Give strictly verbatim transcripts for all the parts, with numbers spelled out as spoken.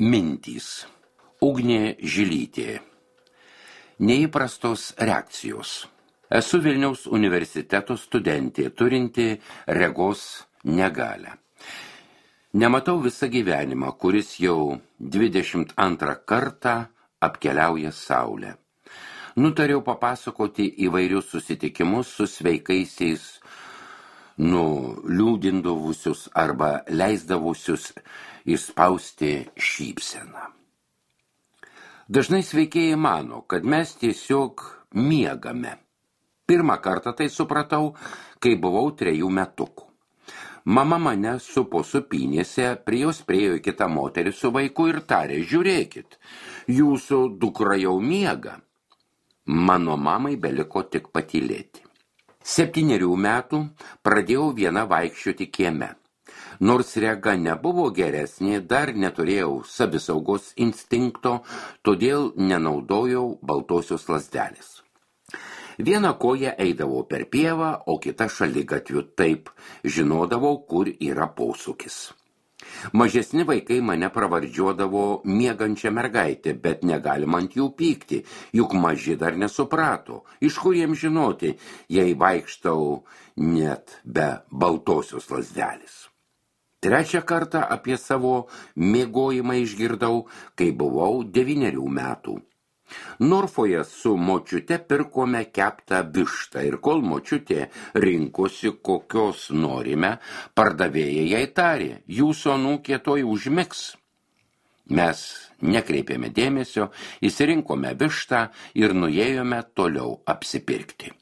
Mintys. Ugnė Žilytė. Neįprastos reakcijos. Esu Vilniaus universiteto studentė, turinti regos negalią. Nematau visą gyvenimą, kuris jau dvidešimt antrą kartą apkeliauja saulę. Nutariau papasakoti įvairius susitikimus su sveikaisiais, nuliūdindavusius arba leisdavusius išspausti šypseną. Dažnai sveikieji mano, kad mes tiesiog miegame. Pirmą kartą tai supratau, kai buvau trejų metukų. Mama mane supo supynėse, prie jos priėjo kita moteris su vaiku ir tarė: žiūrėkit, jūsų dukra jau miega. Mano mamai beliko tik patylėti. Septynerių metų pradėjau viena vaikščioti kieme. Nors rega nebuvo geresnė, dar neturėjau savisaugos instinkto, todėl nenaudojau baltosios lazdelės. Vieną koją eidavau per pievą, o kitą šaligatviu, taip žinodavau, kur yra posūkis. Mažesni vaikai mane pravardžiuodavo miegančią mergaitę, bet negalima ant jų pykti, juk maži dar nesuprato, iš kur jiems žinoti, jei vaikštau net be baltosios lazdelės. Trečią kartą apie savo miegojimą išgirdau, kai buvau devynerių metų. Norfoje su močiute pirkome keptą vištą ir kol močiutė rinkosi, kokios norime, pardavėja jai tarė: jūsų anūkė tuoj užmigs. Mes nekreipėme dėmesio, išsirinkome vištą ir nuėjome toliau apsipirkti.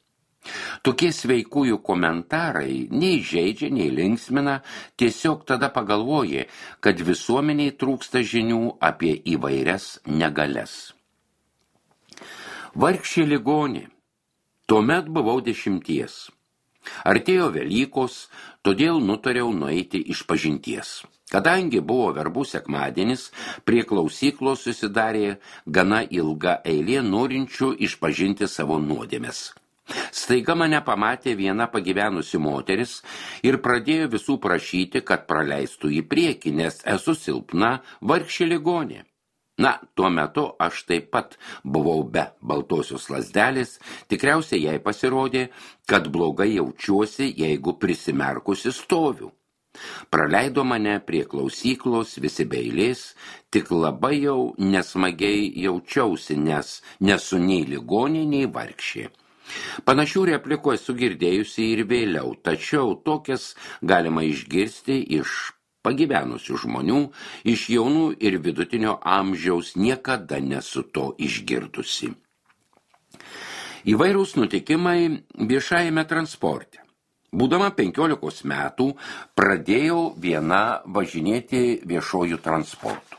Tokie sveikųjų komentarai nei žeidžia, nei linksmina, tiesiog tada pagalvoji, kad visuomeniai trūksta žinių apie įvairias negalias. Vargšė ligonė. Tuomet buvau dešimties. Artėjo Velykos, todėl nutariau nueiti išpažinties. Kadangi buvo verbų sekmadienis, prie klausyklos susidarė gana ilga eilė norinčių išpažinti savo nuodėmes. Staiga mane pamatė viena pagyvenusi moteris ir pradėjo visų prašyti, kad praleistų į priekį, nes esu silpna, vargšė ligonė. Na, tuo metu aš taip pat buvau be baltosios lazdelės, tikriausiai jai pasirodė, kad blogai jaučiuosi, jeigu prisimerkusi stoviu. Praleido mane prie klausyklos visi be eilės, tik labai jau nesmagiai jaučiausi, nes nesu nei ligonė, nei vargšė. Panašių replikų esu girdėjusi ir vėliau, tačiau tokias galima išgirsti iš pagyvenusių žmonių, iš jaunų ir vidutinio amžiaus niekada nesu to išgirdusi. Įvairūs nutikimai viešajame transporte. Būdama penkiolikos metų pradėjau viena važinėti viešojų transportų.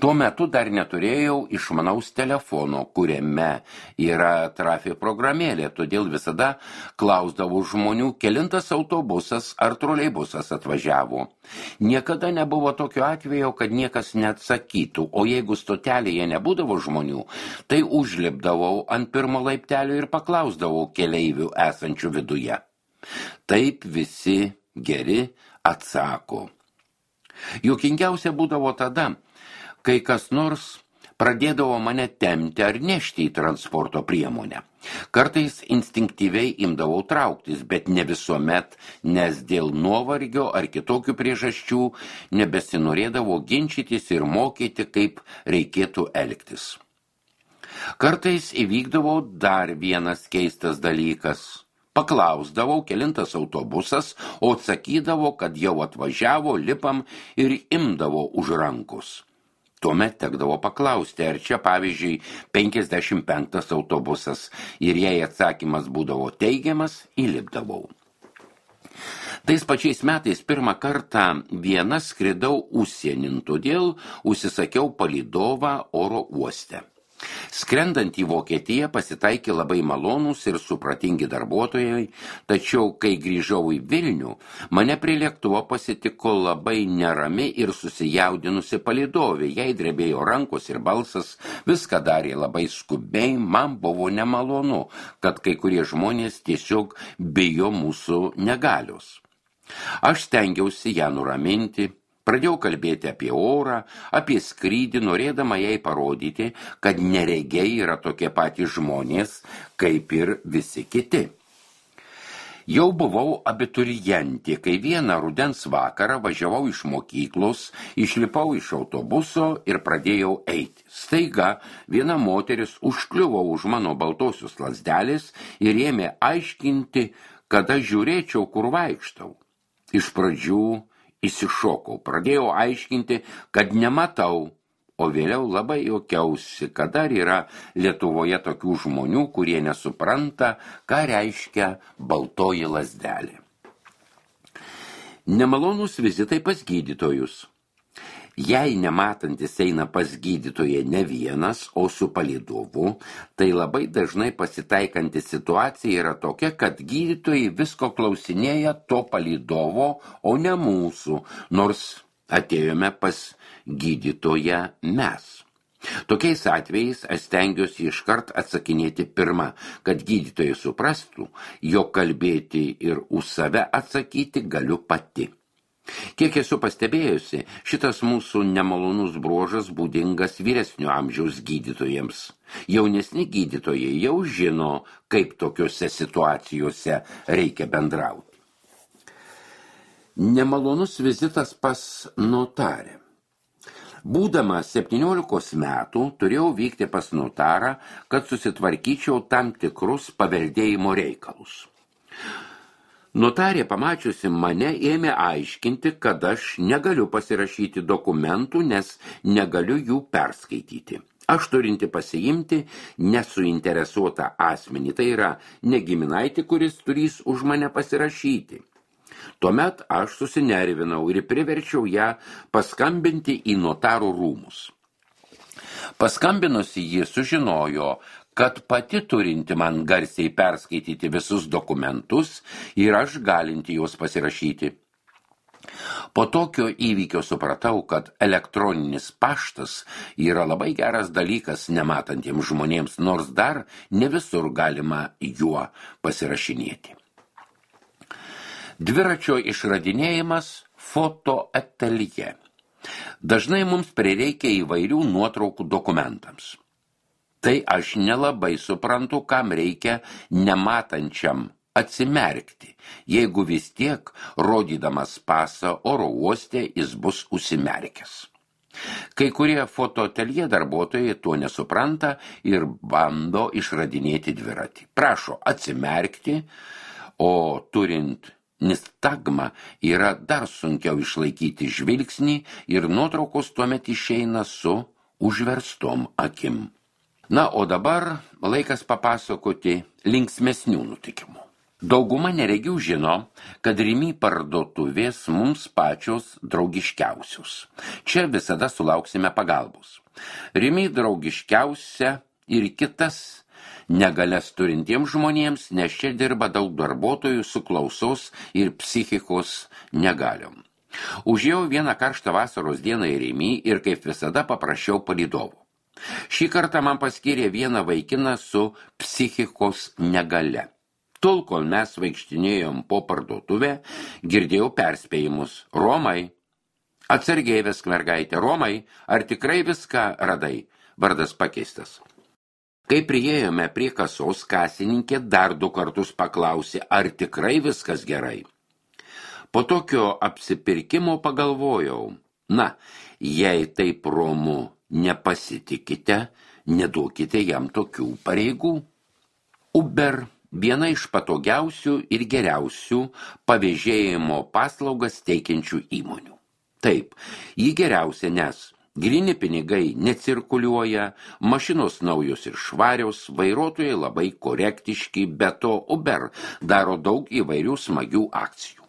Tuo metu dar neturėjau išmanaus telefono, kuriame yra trafi programėlė, todėl visada klausdavau žmonių, kelintas autobusas ar troleibusas atvažiavo. Niekada nebuvo tokio atvejo, kad niekas neatsakytų, o jeigu stotelėje nebūdavo žmonių, tai užlipdavau ant pirmo laiptelio ir paklausdavau keleivių esančių viduje. Taip visi geri atsako. Juokingiausia būdavo tada, kai kas nors pradėdavo mane tempti ar nešti į transporto priemonę. Kartais instinktyviai imdavau trauktis, bet ne visuomet, nes dėl nuovargio ar kitokių priežasčių nebesinorėdavo ginčytis ir mokyti, kaip reikėtų elgtis. Kartais įvykdavo dar vienas keistas dalykas. Paklausdavau, kelintas autobusas, o atsakydavo, kad jau atvažiavo, lipam ir imdavo už rankos. Tuomet tekdavo paklausti, ar čia, pavyzdžiui, penkiasdešimt penktas autobusas, ir jei atsakymas būdavo teigiamas, įlipdavau. Tais pačiais metais pirmą kartą viena skridau užsienin, todėl užsisakiau palydovą oro uoste. Skrendant į Vokietiją pasitaikė labai malonūs ir supratingi darbuotojai, tačiau kai grįžau į Vilnių, mane prie lėktuvo pasitiko labai nerami ir susijaudinusi palydovė, jai drebėjo rankos ir balsas, viską darė labai skubiai, man buvo nemalonu, kad kai kurie žmonės tiesiog bijo mūsų negalios. Aš stengiausi ją nuraminti, Pradėjau kalbėti apie orą, apie skrydį, norėdama jai parodyti, kad neregiai yra tokie patys žmonės, kaip ir visi kiti. Jau buvau abiturijentė, kai vieną rudens vakarą važiavau iš mokyklos, išlipau iš autobuso ir pradėjau eiti. Staiga viena moteris užkliuvo už mano baltosios lazdelės ir ėmė aiškinti, kada žiūrėčiau, kur vaikštau. Iš pradžių įsišokau, pradėjau aiškinti, kad nematau, o vėliau labai juokiausi, kad dar yra Lietuvoje tokių žmonių, kurie nesupranta, ką reiškia baltoji lazdelė. Nemalonūs vizitai pas gydytojus. Jei nematantis eina pas gydytoją ne vienas, o su palydovu, tai labai dažnai pasitaikanti situacija yra tokia, kad gydytojai visko klausinėja to palydovo, o ne mūsų, nors atėjome pas gydytoją mes. Tokiais atvejais aš stengiuosi iškart atsakinėti pirmą, kad gydytojai suprastų, jog kalbėti ir už save atsakyti galiu pati. Kiek esu pastebėjusi, šitas mūsų nemalonus bruožas būdingas vyresnio amžiaus gydytojams. Jaunesni gydytojai jau žino, kaip tokiuose situacijose reikia bendrauti. Nemalonus vizitas pas notarę. Būdama septyniolikos metų, turėjau vykti pas notarą, kad susitvarkyčiau tam tikrus paveldėjimo reikalus. Notarė, pamačiusi mane, ėmė aiškinti, kad aš negaliu pasirašyti dokumentų, nes negaliu jų perskaityti. Aš turinti pasiimti nesuinteresuotą asmenį, tai yra negiminaitį, kuris turės už mane pasirašyti. Tuomet aš susinervinau ir priverčiau ją paskambinti į notarų rūmus. Paskambinusi ji sužinojo, kad pati turinti man garsiai perskaityti visus dokumentus ir aš galinti juos pasirašyti. Po tokio įvykio supratau, kad elektroninis paštas yra labai geras dalykas nematantiems žmonėms, nors dar ne visur galima juo pasirašinėti. Dviračio išradinėjimas fotoateljė. Dažnai mums prireikia įvairių nuotraukų dokumentams. Tai aš nelabai suprantu, kam reikia nematančiam atsimerkti, jeigu vis tiek, rodydamas pasą oro uoste, jis bus užsimerkęs. Kai kurie fotoateljė darbuotojai to nesupranta ir bando išradinėti dviratį. Prašo atsimerkti, o turint nistagmą yra dar sunkiau išlaikyti žvilgsnį ir nuotraukos tuomet išeina su užverstom akim. Na, o dabar laikas papasakoti linksmesnių nutikimų. Dauguma neregių žino, kad Rimi parduotuvės mums pačios draugiškiausios. Čia visada sulauksime pagalbos. Rimi draugiškiausia ir kitas negalias turintiems žmonėms, nes čia dirba daug darbuotojų su klausos ir psichikos negaliom. Užėjau vieną karštą vasaros dieną į Rimi ir kaip visada paprašiau palydovo. Šį kartą man paskyrė vieną vaikiną su psichikos negale. Tol, kol mes vaikštinėjom po parduotuvę, girdėjau perspėjimus. Romai, atsargiai vesk mergaitė, Romai, ar tikrai viską radai? Vardas pakeistas. Kai priėjome prie kasos, kasininkė dar du kartus paklausė, ar tikrai viskas gerai. Po tokio apsipirkimo pagalvojau, na, jei taip Romu nepasitikite, neduokite jam tokių pareigų. Uber viena iš patogiausių ir geriausių pavėžėjimo paslaugas teikiančių įmonių. Taip, ji geriausia, nes gryni pinigai necirkuliuoja, mašinos naujos ir švarios, vairuotojai labai korektiški, be to Uber daro daug įvairių smagių akcijų.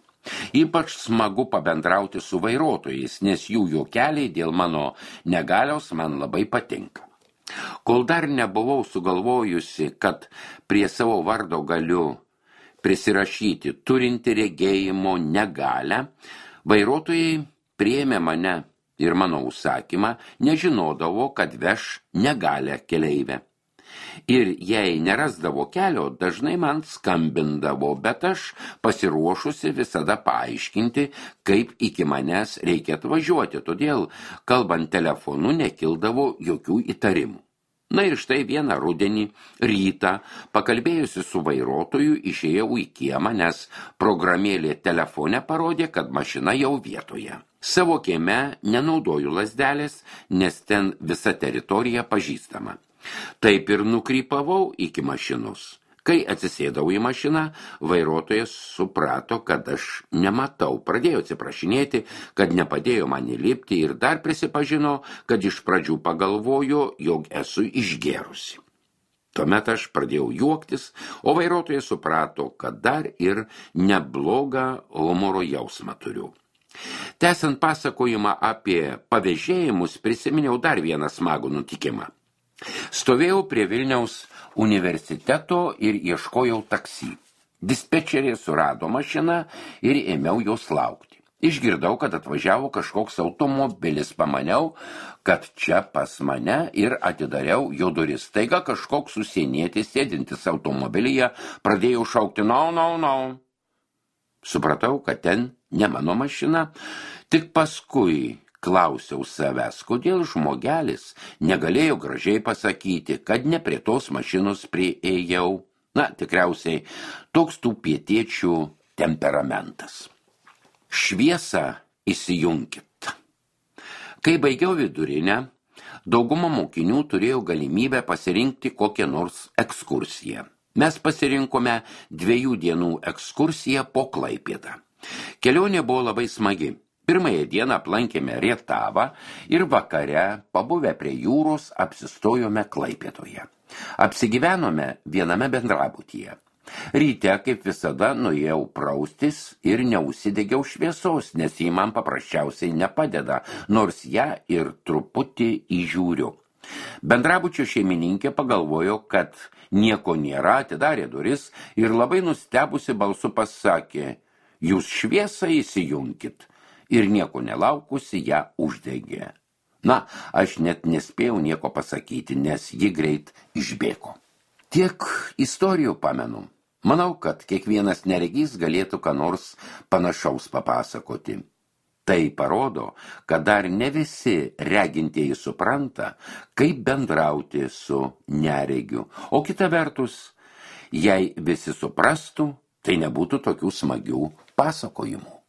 Ypač smagu pabendrauti su vairuotojais, nes jų juokeliai dėl mano negalios man labai patinka. Kol dar nebuvau sugalvojusi, kad prie savo vardo galiu prisirašyti turinti regėjimo negalią, vairuotojai priėmė mane ir mano užsakymą, nežinodavo, kad veš negalę keleivę. Ir jei nerasdavo kelio, dažnai man skambindavo, bet aš pasiruošusi visada paaiškinti, kaip iki manęs reikia atvažiuoti, todėl, kalbant telefonu, nekildavo jokių įtarimų. Na ir štai vieną rudenį rytą, pakalbėjusi su vairuotoju, išėjau į kiemą, nes programėlė telefone parodė, kad mašina jau vietoje. Savo kieme nenaudoju lazdelės, nes ten visa teritorija pažįstama. Taip ir nukrypavau iki mašinos. Kai atsisėdau į mašiną, vairuotojas suprato, kad aš nematau. Pradėjo atsiprašinėti, kad nepadėjo man įlipti ir dar prisipažino, kad iš pradžių pagalvojo, jog esu išgėrusi. Tuomet aš pradėjau juoktis, o vairuotojas suprato, kad dar ir neblogą humoro jausmą turiu. Tęsiant pasakojimą apie pavėžėjimus, prisiminiau dar vieną smagų nutikimą. Stovėjau prie Vilniaus universiteto ir ieškojau taksi. Dispečerė surado mašiną ir ėmiau jos laukti. Išgirdau, kad atvažiavo kažkoks automobilis, pamaniau, kad čia pas mane ir atidariau jo duris. Staiga kažkoks užsienietis sėdintis automobilyje pradėjo šaukti no, no, no. Supratau, kad ten ne mano mašina, tik paskui klausiau savęs, kodėl žmogelis negalėjo gražiai pasakyti, kad ne prie tos mašinos priėjau. Na, tikriausiai, toks tų pietiečių temperamentas. Šviesą įsijunkit. Kai baigiau vidurinę, dauguma mokinių turėjo galimybę pasirinkti kokią nors ekskursiją. Mes pasirinkome dviejų dienų ekskursiją po Klaipėdą. Kelionė buvo labai smagi. Pirmąją dieną aplankėme Rietavą ir vakare, pabuvę prie jūros, apsistojome Klaipėdoje. Apsigyvenome viename bendrabutyje. Ryte, kaip visada, nuėjau praustis ir neužsidegiau šviesos, nes jį man paprasčiausiai nepadeda, nors ją ir truputį įžiūriu. Bendrabučio šeimininkė pagalvojo, kad nieko nėra, atidarė duris ir labai nustebusi balsu pasakė, jūs šviesą įsijunkit. Ir nieko nelaukusi ją uždegė. Na, aš net nespėjau nieko pasakyti, nes ji greit išbėgo. Tiek istorijų pamenu. Manau, kad kiekvienas neregys galėtų ką nors panašaus papasakoti. Tai parodo, kad dar ne visi regintieji supranta, kaip bendrauti su neregiu. O kita vertus, jei visi suprastų, tai nebūtų tokių smagių pasakojimų.